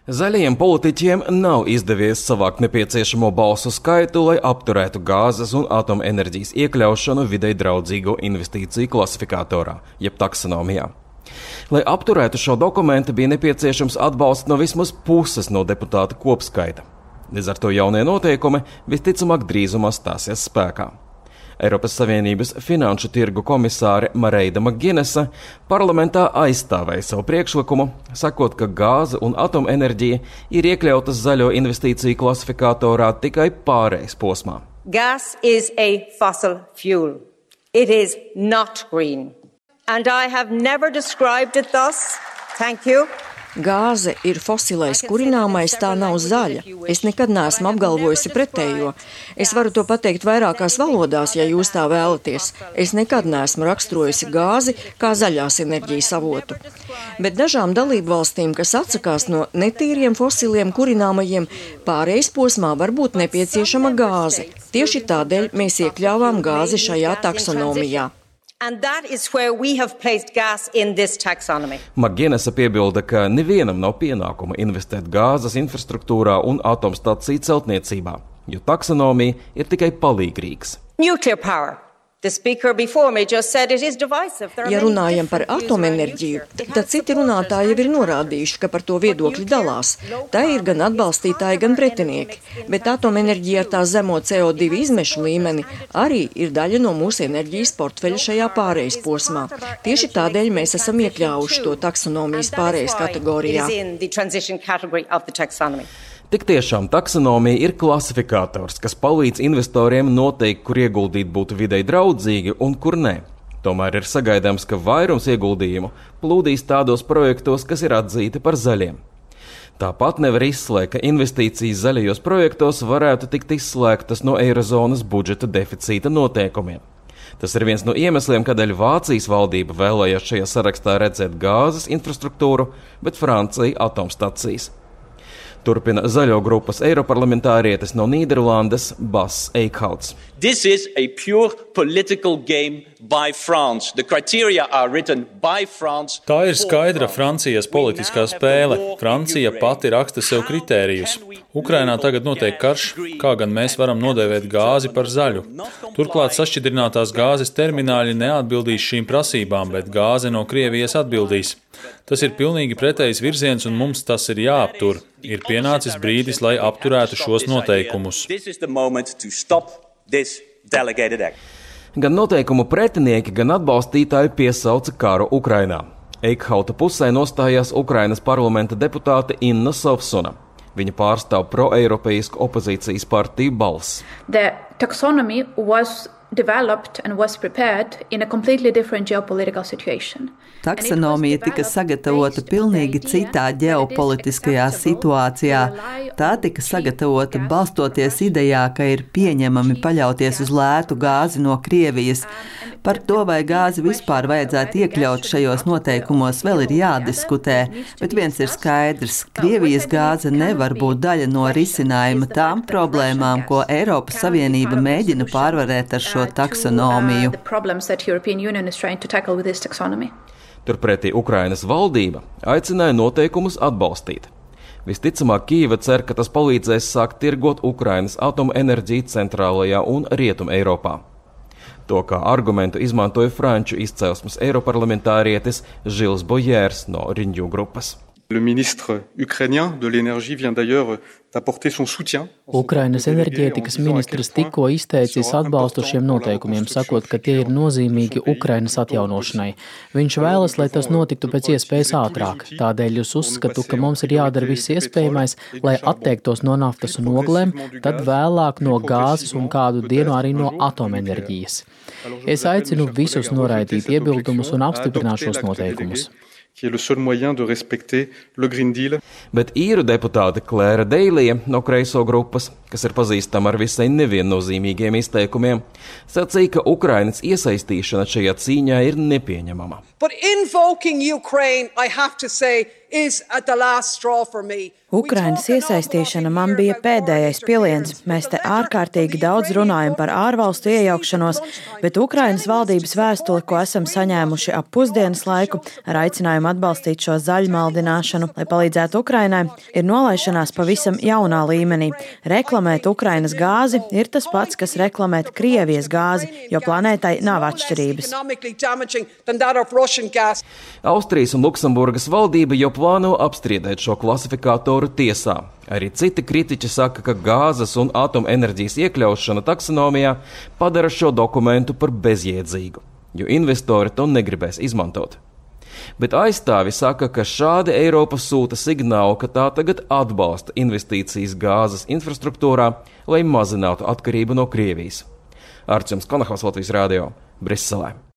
Zaļajiem politiķiem nav izdevies savākt nepieciešamo balsu skaitu, lai apturētu gāzes un atomenerģijas iekļaušanu videi draudzīgo investīciju klasifikatorā, jeb taksonomijā. Lai apturētu šo dokumentu, bija nepieciešams atbalsts no vismaz puses no deputātu kopskaita. Līdz ar to jaunie noteikumi visticamāk drīzumā stāsies spēkā. Eiropas Savienības finanšu tirgu komisāre Mareida Maginesa parlamentā aizstāvēja savu priekšlikumu, sakot, ka gāze un atomenerģija ir iekļautas zaļo investīciju klasifikatorā tikai pārejas posmā. Gas is a fossil fuel. It is not green. And I have never described it thus. Thank you. Gāze ir fosilais kurināmais, tā nav zaļa. Es nekad neesmu apgalvojusi pretējo. Es varu to pateikt vairākās valodās, ja jūs tā vēlaties. Es nekad neesmu raksturojusi gāzi kā zaļās enerģijas avotu. Bet dažām dalību valstīm, kas atsakās no netīriem fosiliem kurināmajiem, pārejas posmā var būt nepieciešama gāze. Tieši tādēļ mēs iekļāvām gāzi šajā taksonomijā. And that is where we have placed gas in this taxonomy. Maginesa piebilda, ka nevienam nav pienākuma investēt gāzes infrastruktūrā un atomstaciju celtniecībā, jo taksonomija ir tikai palīgrīgs. Nuclear power. The speaker before me just said it is divisive. Ja runājam par atomenerģiju, tad citi runātāji jau ir norādījuši, ka par to viedokļi dalās. Tā ir gan atbalstītāji, gan pretinieki. Bet atomenerģija ar tā zemo CO2 izmešu līmeni arī ir daļa no mūsu enerģijas portfeļa šajā pārejas posmā. Tieši tādēļ mēs esam iekļāvuši to taksonomijas pārejas kategorijā. Tik tiešām taksonomija ir klasifikators, kas palīdz investoriem noteikt, kur ieguldīt būtu videi draudzīgi un kur nē. Tomēr ir sagaidāms, ka vairums ieguldījumu plūdīs tādos projektos, kas ir atzīti par zaļiem. Tāpat nevar izslēgt, ka investīcijas zaļajos projektos varētu tikt izslēgtas no eirozonas budžeta deficīta noteikumiem. Tas ir viens no iemesliem, kādēļ Vācijas valdība vēlējās šajā sarakstā redzēt gāzes infrastruktūru, bet Francija atomstacijas. Turpina zaļo grupas eiroparlamentārietis no Nīderlandes Bas Eikhauts. This is a pure political game by France. The criteria are written by France. Tā ir skaidra Francijas politiskā spēle. Francija pati raksta sev kritērijus. Ukrainā tagad notiek karš, kā gan mēs varam nodēvēt gāzi par zaļu. Turklāt sašķidrinātās gāzes termināļi neatbildīs šīm prasībām, bet gāze no Krievijas atbildīs. Tas ir pilnīgi pretējs virziens un mums tas ir jāaptur. Ir pienācis brīdis, lai apturētu šos noteikumus. Gan noteikumu pretinieki, gan atbalstītāji piesauca karu Ukrainā. Eikhauta pusē nostājās Ukrainas parlamenta deputāte Inna Sovsuna. Viņa pārstāv pro-eiropeisku opozīcijas partiju Balss. The taxonomy was developed and was prepared in a completely different geopolitical situation. Taksonomija tika sagatavota pilnīgi citā ģeopolitiskajā situācijā. Tā tika sagatavota balstoties idejā, ka ir pieņemami paļauties uz lētu gāzi no Krievijas. Par to, vai gāzi vispār vajadzētu iekļaut šajos noteikumos, vēl ir jādiskutē, bet viens ir skaidrs – Krievijas gāze nevar būt daļa no risinājuma tām problēmām, ko Eiropas Savienība mēģina pārvarēt ar šo taksonomiju. Turpretī Ukrainas valdība aicināja noteikumus atbalstīt. Visticamāk, Kīva cer, ka tas palīdzēs sākt tirgot Ukrainas atomenerģiju centrālajā un rietum Eiropā. To kā argumentu izmantoja franču izcelsmes eiroparlamentārietis Žils Bojērs no Renew grupas. Le ministre ukrainien de l'énergie vient d'ailleurs d'apporter son soutien. Ukrainas enerģētikas ministrs tikko izteicis atbalstu šiem noteikumiem, sakot, ka tie ir nozīmīgi Ukrainas atjaunošanai. Viņš vēlas, lai tas notiktu pēc iespējas ātrāk. Tādēļ es uzskatu, ka mums ir jādara viss iespējamais, lai atteiktos no naftas un oglēm, tad vēlāk no gāzes un kādu dienu arī no atomenerģijas. Es aicinu visus noraidīt iebildumus un apstiprināt šos noteikumus. Bet īru deputāte Klēra Deilija no kreiso grupas kas ir pazīstama ar visai neviennozīmīgiem izteikumiem, sacīja, ka Ukrainas iesaistīšana šajā cīņā ir nepieņemama. Ukrainas iesaistīšana man bija pēdējais piliens. Mēs te ārkārtīgi daudz runājam par ārvalstu iejaukšanos, bet Ukrainas valdības vēstuli, ko esam saņēmuši ap pusdienas laiku, ar aicinājumu atbalstīt šo zaļmaldināšanu, lai palīdzētu Ukrainai, ir nolaišanās pavisam jaunā līmenī. Reklamēt Ukrainas gāzi ir tas pats, kas reklamēt Krievijas gāzi, jo planētai nav atšķirības. Austrijas un Luksemburgas valdība jau plāno apstrīdēt šo klasifikātoru tiesā. Arī citi kritiķi saka, ka gāzes un atomenerģijas iekļaušana taksonomijā padara šo dokumentu par bezjēdzīgu, jo investori to negribēs izmantot. Bet aizstāvi saka, ka šādi Eiropa sūta signālu, ka tā tagad atbalsta investīcijas gāzes infrastruktūrā, lai mazinātu atkarību no Krievijas. Arčuns Konahaus, Latvijas radio, Briselē.